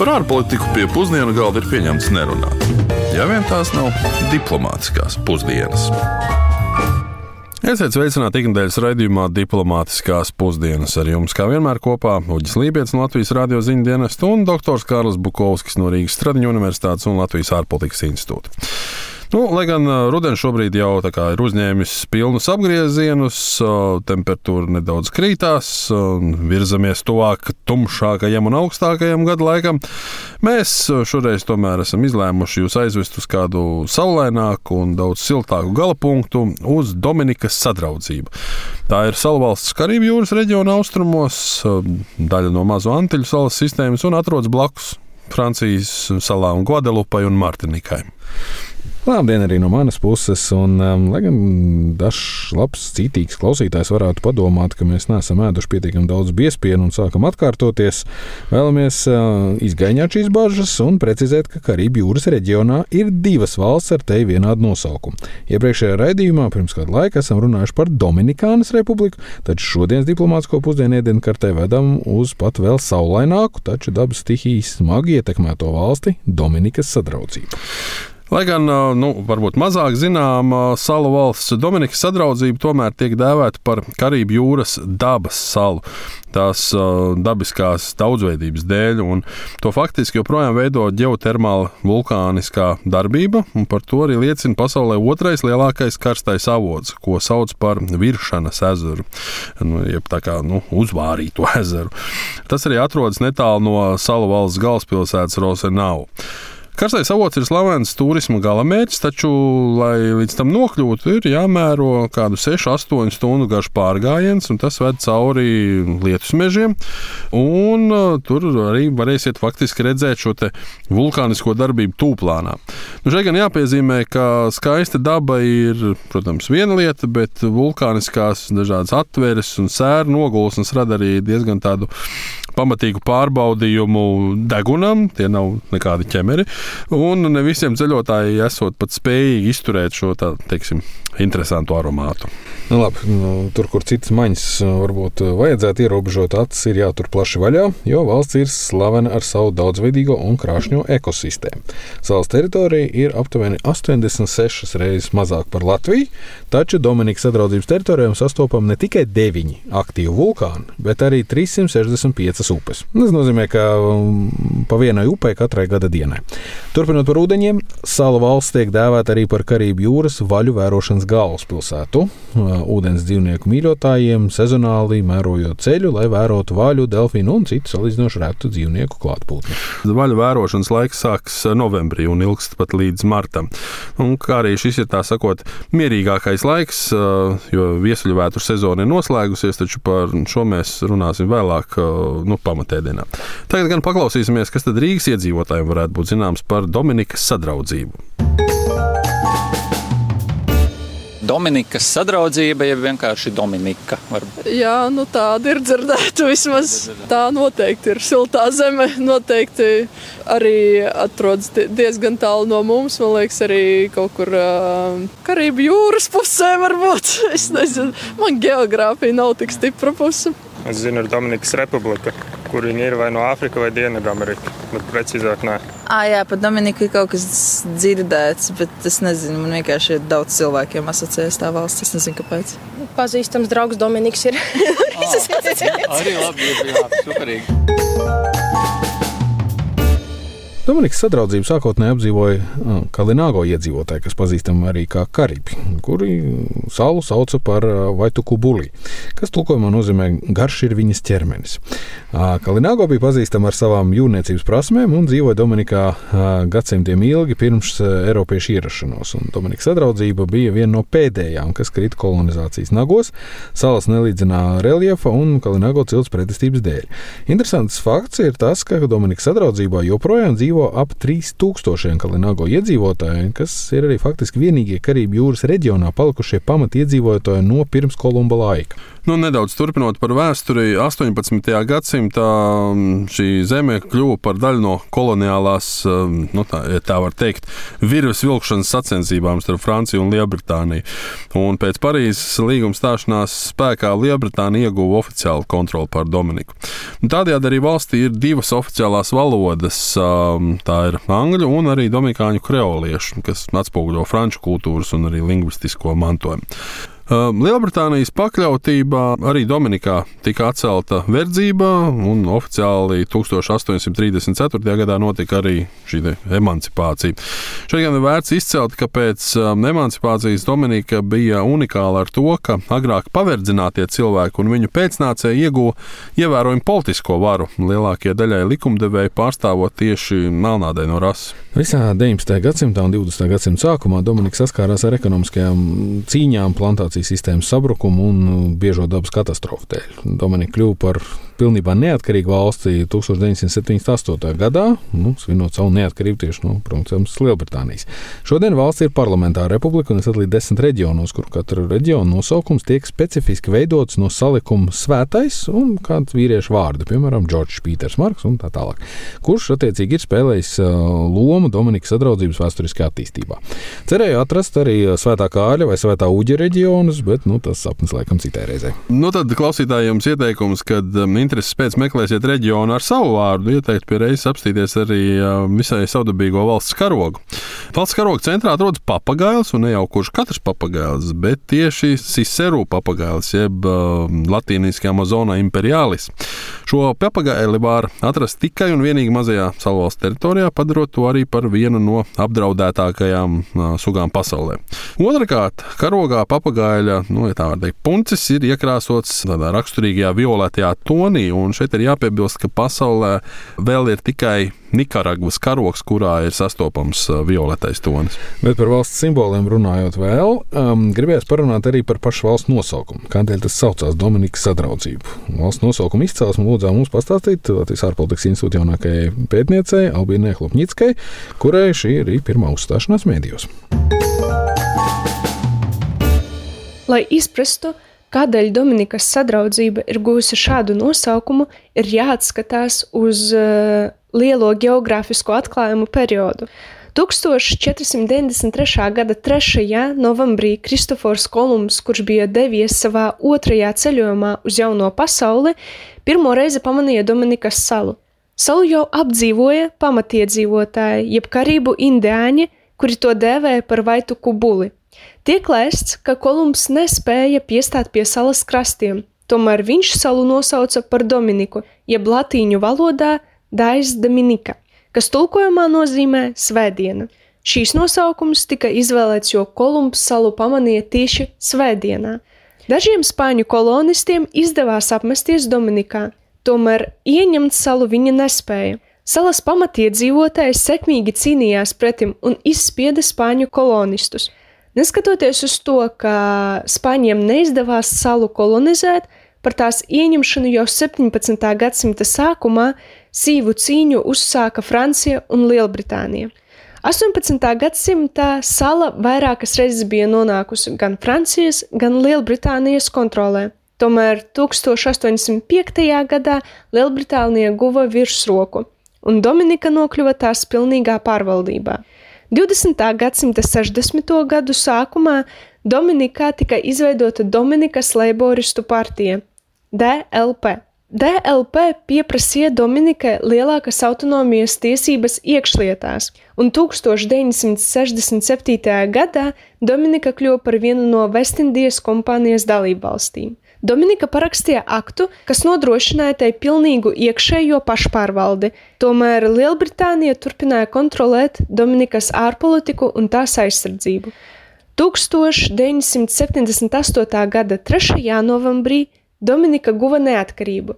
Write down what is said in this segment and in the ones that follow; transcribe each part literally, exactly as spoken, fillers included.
Par ārpolitiku pie pusdienu galda ir pieņemts nerunāt. Ja vien tās nav diplomātiskās pusdienas. Esiet sveicināti ikdienas raidījumā Diplomātiskās pusdienas. Ar jums kā vienmēr kopā Uģis Lībietis no Latvijas radio ziņu dienesta un doktors Kārlis Bukovskis no Rīgas Stradiņu universitātes un Latvijas ārpolitikas institūta. Nu, lai gan rudens šobrīd jau tā kā ir uzņēmis pilnus apgriezienus, temperatūra nedaudz krītās, virzamies tuvāk tumšākajam un augstākajam gada laikam, mēs šoreiz tomēr esam izlēmuši jūs aizvest uz kādu saulaināku un daudz siltāku galapunktu uz Dominikas Sadraudzību. Tā ir salvalsts Karību jūras reģiona austrumos, daļa no Mazo Antiļu salas sistēmas un atrodas blakus Francijas salām Guadelupai un Martinikai. Labdien arī no manas puses, un um, lai gan dažs labs, citīgs klausītājs varētu padomāt, ka mēs neesam ēduši pietiekami daudz biespienu un sākam atkārtoties, vēlamies uh, izgaiņāt šīs bažas un precizēt, ka Karību jūras reģionā ir divas valsts ar teju vienādu nosaukumu. Iepriekšējā raidījumā pirms kādu laiku esam runājuši par Dominikānas republiku, taču šodienas diplomātisko pusdienu ēdienkartē vedam uz pat vēl saulaināku, taču dabas stihijas smagi ietekmēto valsti Dominikas Sadraudzību. Lai gan, nu, varbūt mazāk zinām, salu valsts Dominikas Sadraudzība tomēr tiek dēvēta par Karību jūras dabas salu, tās uh, dabiskās daudzveidības dēļ, un to faktiski joprojām veido ģeotermāla vulkāniskā darbība, un par to arī liecina pasaulē otrais lielākais karstais avots, ko sauc par Viršanas ezeru, nu, jeb tā kā, nu, uzvārīto ezeru. Tas arī atrodas netālu no salu valsts galvaspilsētas Rosenau. Karstais avots ir slavens turisma galamērķis, taču, lai līdz tam nokļūtu, ir jāmēro kādu sešu astoņu stundu garš pārgājiens, un tas ved cauri lietus mežiem, un uh, tur arī varēsiet faktiski redzēt šo te vulkānisko darbību tūplānā. Nu, šeit gan jāpiezīmē, ka skaista daba ir, protams, viena lieta, bet vulkāniskās dažādas atveres un sēru nogulsnes rada arī diezgan tādu pamatīgu pārbaudījumu degunam, tie nav nekādi ķemeri, un ne visiem ceļotāji esot pat spējīgi izturēt šo tā, teiksim, interesantu aromātu. Nu, labi, nu, tur, kur citas maņas varbūt vajadzētu ierobežot acis, ir jātur plaši vaļā, jo valsts ir slavena ar savu daudzveidīgo un krāšņo ekosistēmu. Salas teritorija ir aptuveni astoņdesmit sešas reizes mazāk par Latviju, taču Dominikas Sadraudzības teritorijām sastopam ne tikai deviņi aktīvi vulkāni, bet arī trīssimt sešdesmit piecas upes. Tas nozīmē, ka pa vienai upei katrai gada dienai. Turpinot par ūdeņiem, salu valsts tiek dēvēta arī par Karību jūras vaļu vērošanas galvaspilsētu. Ūdens dzīvnieku mīļotājiem sezonāli mērojot ceļu, lai vērotu vaļu, delfīnu un citu salīdzinoši retu dzīvnieku klātbūtni. Vaļu vērošanas laiks sāks novembrī un ilgst pat līdz martam. Un kā arī šis ir tā sakot mierīgākais laiks, jo viesuļu vētru sezona ir noslēgusies, taču par šo mēs runāsim vēlāk, nu, pamatēdienā. Tagad gan paklausīsimies, kas tad Rīgas iedzīvotājiem varētu būt zināms par Dominikas Sadraudzību. Dominikas Sadraudzība, ja vienkārši Dominika. Varbūt. Jā, nu tāda ir dzirdēta vismaz. Tā noteikti ir siltā zeme, noteikti arī atrodas diezgan tālu no mums. Man liekas, arī kaut kur uh, Karību jūras pusē varbūt. Es nezinu, man geogrāfija nav tik stipra puse. Es zinu, ir Dominikas Republika, kur viņi ir vai no Āfrika vai Dienvidamerika, bet precīzāk nē. Ā, jā, par Dominiku ir kaut kas dzirdēts, bet es nezinu, man vienkārši ir daudz cilvēkiem asociējas tā valsts, es nezinu, kāpēc. Pazīstams draugs Dominiks ir. Arī labi, jā, superīgi. Dominikas Sadraudzību sākotnēji apdzīvoja Kalināgo iedzīvotāji, kas pazīstami arī kā Karibi, kuri salu sauca par Vaitukubuli, kas tulkojumā nozīmē garš ir viņas ķermenis. Kalināgo bija pazīstama ar savām jūrniecības prasmēm un dzīvoja Dominikā gadsimtiem ilgi pirms eiropiešu ierašanos. Un Dominikas Sadraudzība bija viena no pēdējām, kas krita kolonizācijas nagos, salas nelīdzinā reljefa un Kalināgo cilts pretestības dēļ. Interesants fakts ir tas, ka Dominikas Sadraudzībā joprojām dzīvo dzīvo ap trīs tūkstošiem Kalinago iedzīvotāji, kas ir arī faktiski vienīgie Karību jūras reģionā palikušie pamatiedzīvotāji no pirms Kolumba laika. Nu, nedaudz turpinot par vēsturi, astoņpadsmitajā gadsimtā šī zeme kļuva par daļu no koloniālās, nu tā, tā var teikt, virves vilkšanas sacensībām starp Franciju un Lielbritāniju. Un pēc Parīzes līguma stāšanās spēkā Lielbritānija ieguva oficiālu kontroli pār Dominiku. Tādējādi arī valstī ir divas oficiālās valodas, tā ir angļu un arī dominikāņu kreoliešu, kas atspoguļo franču kultūras un arī lingvistisko mantojumu. Lielbritānijas pakļautībā arī Dominikā tika atcelta verdzība, un oficiāli tūkstoš astoņsimt trīsdesmit ceturtajā gadā notika arī šī emancipācija. Šeit gan ir vērts izcelt, ka pēc emancipācijas Dominika bija unikāla ar to, ka agrāk paverdzinātie cilvēki un viņu pēcnācēji ieguva ievērojumu politisko varu, lielākie daļai likumdevēji pārstāvot tieši melnādaino rasi. Visā deviņpadsmitajā gadsimtā un divdesmitajā gadsimta sākumā Dominika saskārās ar ekonomiskajām cīņām, plantācijas sistēmas sabrukumu un biežo dabas katastrofu dēļ. Dominika kļuva par pilnībā neatkarīgu valsti tūkstoš deviņsimt septiņdesmit astotajā gadā, nu, svinot savu neatkarību tieši no, protams, Lielbritānijas. Šodien valsts ir parlamentāra republika un ir sadalīta desmit reģionos, kur katra reģiona nosaukums tiek specifiski veidots no salikuma svētais un kāds vīriešu vārdi, piemēram, Džordžs Pīters Marks un tā tālāk, kurš attiecīgi ir spēlējis lomu Dominikas sadraudzības vēsturiskajā attīstībā. Cerēju atrast arī Svētā Kāļa vai Svētā Uģa reģionus, bet nu, tas sapnis laikam citai reizei. Nu tad klausītājiem ieteikums, kad intereses pēc meklēsiet reģionu ar savu vārdu, ieteikt pie reizes apstīties arī visai savdabīgo valsts karogu. Valsts karoga centrā atrodas papagails, un ne jau kurš katrs papagails, bet tieši Ciceru papagails, jeb latīniski Amazona imperialis. Šo papagaili var atrast tikai un vienīgi mazajā salvalsts teritorijā, padarot to arī par vienu no apdraudētākajām uh, sugām pasaulē. Otrakārt, karogā papagaļa, nu, ja tā var teikt, puncis ir iekrāsots tādā raksturīgajā violetajā tonī, un šeit ir jāpiebilst, ka pasaulē vēl ir tikai Nikaragvas karogs, kurā ir sastopams uh, violetais tonis. Bet par valsts simboliem runājot vēl, um, gribējās parunāt arī par pašu valsts nosaukumu. Kādēļ tas saucās Dominikas sadraudzību? Valsts nosaukuma izcelsme lūdzām mums pastāstīt Latvijas ārpolitikas institūta jaunākajai pētniecei Albīnai Chlupņickai, kurai šī ir pirmā uzstāšanās mēdījos. Lai izprastu, kādēļ Dominikas sadraudzība ir guvusi šādu nosaukumu, ir jāatskatās uz uh, lielo geogrāfisko atklājumu periodu. tūkstoš četri simti deviņdesmit trešā gada trešajā novembrī Kristofors Kolumbs, kurš bija devies savā otrajā ceļojumā uz jauno pasauli, pirmo reizi pamanīja Dominikas salu. Salu jau apdzīvoja pamatiedzīvotāji, jeb karību indiāņi, kuri to dēvēja par Vaitu Kubuli. Tiek lēsts, ka Kolumbs nespēja piestāt pie salas krastiem, tomēr viņš salu nosauca par Dominiku, jeb latīņu valodā Dais Dominika, kas tulkojumā nozīmē svētdiena. Šīs nosaukums tika izvēlēts, jo Kolumbs salu pamanīja tieši svētdienā. Dažiem spāņu kolonistiem izdevās apmesties Dominikā, tomēr ieņemt salu viņi nespēja. Salas pamatiedzīvotājs sekmīgi cīnījās pretim un izspieda spāņu kolonistus. Neskatoties uz to, ka spāņiem neizdevās salu kolonizēt, par tās ieņemšanu jau septiņpadsmitā gadsimta sākumā sīvu cīņu uzsāka Francija un Lielbritānija. astoņpadsmitā gadsimtā sala vairākas reizes bija nonākusi gan Francijas, gan Lielbritānijas kontrolē. Tomēr tūkstoš astoņsimt piektajā gadā Lielbritānija guva virsroku, un Dominika nokļuva tās pilnīgā pārvaldībā. divdesmitā gadsimta sešdesmito gadu sākumā Dominikā tika izveidota Dominikas leiboristu partija D L P. D L P pieprasīja Dominikai lielākas autonomijas tiesības iekšlietās, un tūkstoš deviņsimt sešdesmit septītajā gadā Dominika kļuva par vienu no Vestindijas kompānijas dalībvalstīm. Dominika parakstīja aktu, kas nodrošināja tai pilnīgu iekšējo pašpārvaldi, tomēr Lielbritānija turpināja kontrolēt Dominikas ārpolitiku un tās aizsardzību. tūkstoš deviņsimt septiņdesmit astotā gada trešajā novembrī Dominika guva neatkarību.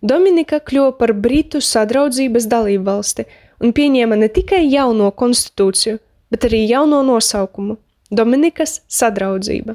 Dominika kļuva par Britu sadraudzības dalībvalsti un pieņēma ne tikai jauno konstitūciju, bet arī jauno nosaukumu – Dominikas sadraudzība.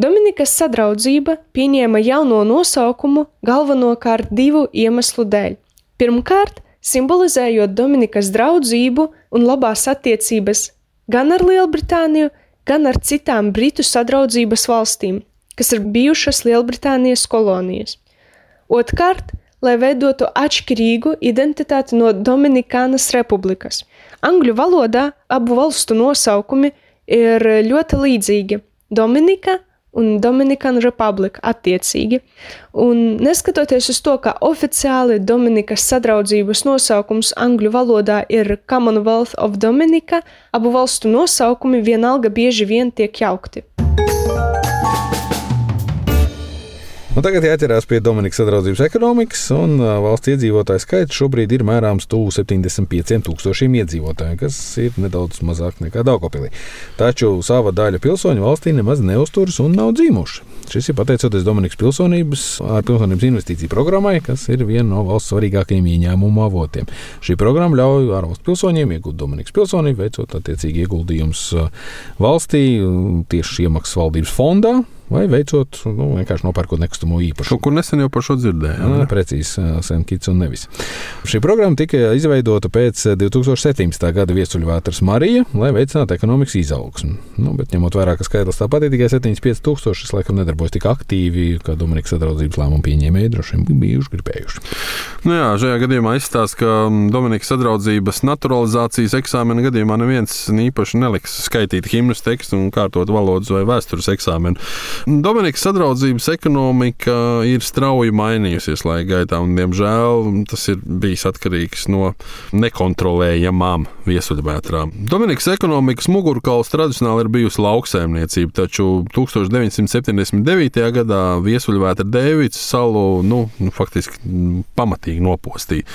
Dominikas sadraudzība pieņēma jauno nosaukumu galvenokārt divu iemeslu dēļ. Pirmkārt, simbolizējot Dominikas draudzību un labās attiecības gan ar Lielbritāniju, gan ar citām Britu sadraudzības valstīm, kas ir bijušas Lielbritānijas kolonijas. Otkārt, lai veidotu atšķirīgu identitāti no Dominikānas republikas. Angļu valodā abu valstu nosaukumi ir ļoti līdzīgi – Dominika un Dominican Republic attiecīgi. Un neskatoties uz to, ka oficiāli Dominikas sadraudzības nosaukums angļu valodā ir Commonwealth of Dominica, abu valstu nosaukumi vienalga bieži vien tiek jaukti. Un tagad jāķerās pie Dominikas sadraudzības ekonomikas, un valsts iedzīvotāju skaits šobrīd ir mērāms tuvu septiņdesmit pieciem tūkstošiem iedzīvotāju, kas ir nedaudz mazāk nekā Daugavpilī. Taču sava daļa pilsoņu valstī nemaz neuzturas un nav dzīvojuši. Šis ir pateicoties Dominikas pilsonības ar pilsonības investīciju programmai, kas ir viena no valsts svarīgākajiem ieņēmumu avotiem. Šī programma ļauj ārvalstu pilsoņiem iegūt Dominikas pilsonību, veicot attiecīgi ieguldījumus valstī tieši iemaksas valdības fondā, vai veicot, nu, vienkārši nopērkot nekustamo īpašumu. Kaut kur nesen jau par šo dzirdējām. Jā, precīzi, Saint Kitts un nevis. Šī programma tika izveidota pēc divi tūkstoši septiņpadsmitā gada viesuļvētras Marija, lai veicinātu ekonomikas izaugsmu. Nu, bet ņemot vērā, ka skaitlis tāpat ir tikai septiņdesmit pieci tūkstoši, tas laikam nedarbojas tik aktīvi, kā Dominikas sadraudzības lēmumu pieņēmēji droši vien bijuši gribējuši. Nu jā, šajā gadījumā izstāsta, ka Dominikas sadraudzības naturalizācijas eksāmena gadījumā neviens īpaši neliks skaitīt himnas tekstu un kārtot valodas vai vēstures eksāmenu. Dominikas sadraudzības ekonomika ir strauji mainījusies laika gaitā, un, diemžēl, tas ir bijis atkarīgs no nekontrolējamām viesuļvētrām. Dominikas ekonomikas mugurkauls tradicionāli ir bijusi lauksaimniecība, taču tūkstoš deviņsimt septiņdesmit devītajā gadā viesuļvētra Dēvids salu nu, nu, faktiski pamatīgi nopostīja.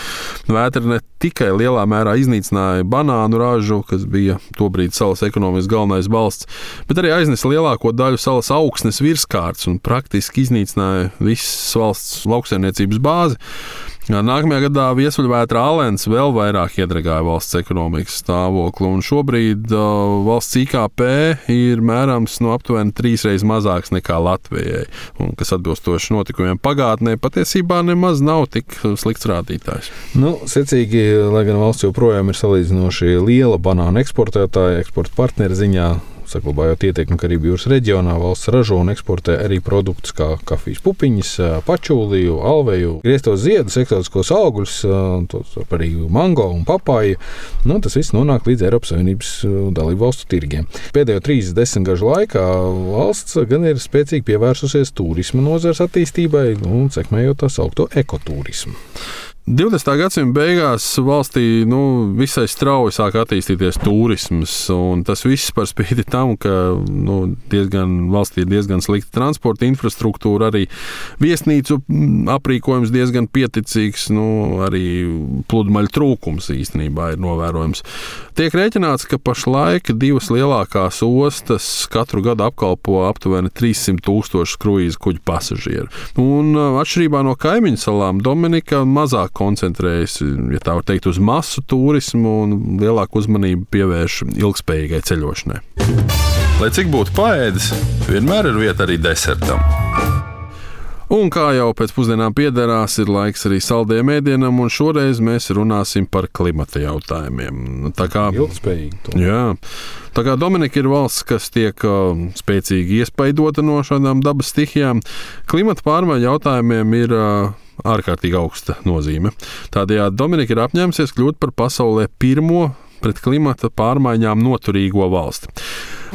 Vētra ne tikai lielā mērā iznīcināja banānu ražu, kas bija tobrīd salas ekonomikas galvenais balsts, bet arī aiznesa lielāko daļu salas augsnes virskārts un praktiski iznīcināja visas valsts lauksaimniecības bāzi. Nākamajā gadā viesuļvētra Alens vēl vairāk iedragāja valsts ekonomikas stāvokli, un šobrīd uh, valsts I K P ir mērams no aptuveni trīsreiz mazāks nekā Latvijai, un kas atbilstoši notikumiem pagātnē patiesībā nemaz nav tik slikts rādītājs. Nu, secīgi, lai gan valsts joprojām ir salīdzinoši liela banānu eksportētāja, eksporta partneri ziņā, saglabājot ietekmi Karību jūras reģionā, valsts ražo un eksportē arī produktus kā kafijas pupiņas, pačūliju, alveju, grieztos ziedus, eksotiskos augļus, arī mango un papāju. Nu, tas viss nonāk līdz Eiropas Savienības dalību valstu tirgiem. Pēdējo trīs desmitgažu laikā valsts gan ir spēcīgi pievērsusies turisma nozares attīstībai un sekmējot tā saukto ekotūrismu. divdesmitā gadsimta beigās valstī nu, visai strauji sāk attīstīties turisms, un tas viss par spīti tam, ka nu, diezgan, valstī ir diezgan slikta transporta infrastruktūra, arī viesnīcu aprīkojums diezgan pieticīgs, nu, arī pludmaļu trūkums īstenībā ir novērojams. Tiek rēķināts, ka pašlaik divas lielākās ostas katru gadu apkalpo aptuveni trīssimt tūkstoši kruīzu kuģu pasažieru. Un atšķirībā no kaimiņu salām Dominika mazāk koncentrējas, ja tā var teikt, uz masu turismu un lielāku uzmanību pievērš ilgspējīgai ceļošanai. Lai cik būtu paēdis, vienmēr ir vieta arī desertam. Un kā jau pēc pusdienām piederās, ir laiks arī saldējiem ēdienam, un šoreiz mēs runāsim par klimata jautājumiem. Tā kā ilgspējīgi. Jā. Tā kā Dominika ir valsts, kas tiek uh, spēcīgi iespaidota no šādām dabas stihijām, klimata pārmaiņu jautājumiem ir uh, ārkārtīgi augsta nozīme. Tādējādi Dominika ir apņēmusies kļūt par pasaulē pirmo pret klimata pārmaiņām noturīgo valsti.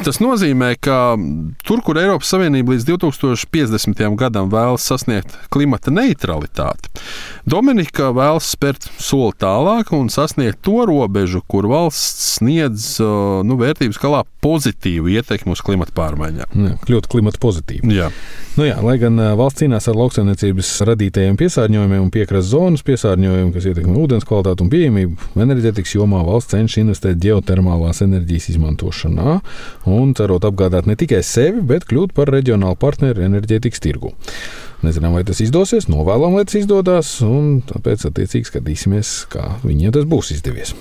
Tas nozīmē, ka tur, kur Eiropas Savienība līdz divi tūkstoši piecdesmitajam gadam vēlas sasniegt klimata neutralitāti, Dominika vēlas spērt soli tālāk un sasniegt to robežu, kur valsts sniedz nu, vērtības skalā pozitīvu ietekmi uz klimata pārmaiņām. Jā, kļūt klimata pozitīvi. Jā. Nu jā, lai gan valsts cīnās ar lauksaimniecības radītajiem piesārņojumiem un piekrastes zonas piesārņojumiem, kas ietekmē ūdens kvalitāti un pieejamību, enerģētikas jomā valsts cenšas investēt ģeotermālās enerģijas izmantošanā un cerot apgādāt ne tikai sevi, bet kļūt par reģionālu partneri enerģētikas tirgu. Nezinām, vai tas izdosies, novēlam, lai tas izdodas, un tāpēc attiecīgi skatīsimies, kā viņiem tas būs izdevies.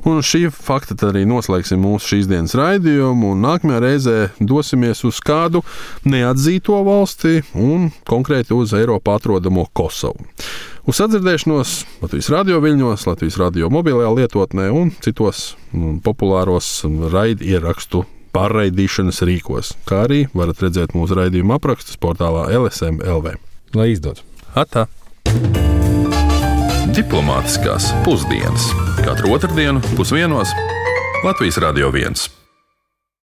Un šī fakta arī noslēgsim mūsu šīs dienas raidījumu, un nākamajā reizē dosimies uz kādu neatzīto valsti un konkrēti uz Eiropā atrodamo Kosovu. Uz sadzirdēšanos Latvijas radio viļņos, Latvijas radio mobilajā lietotnē un citos mm, populāros raidierakstu pārraidīšanas rīkos, kā arī varat redzēt mūsu raidījuma aprakstus portālā L S M L V. Lai izdodas! Atā! Diplomātiskās pusdienas katru otrdienu pusdienos Latvijas Radio viens.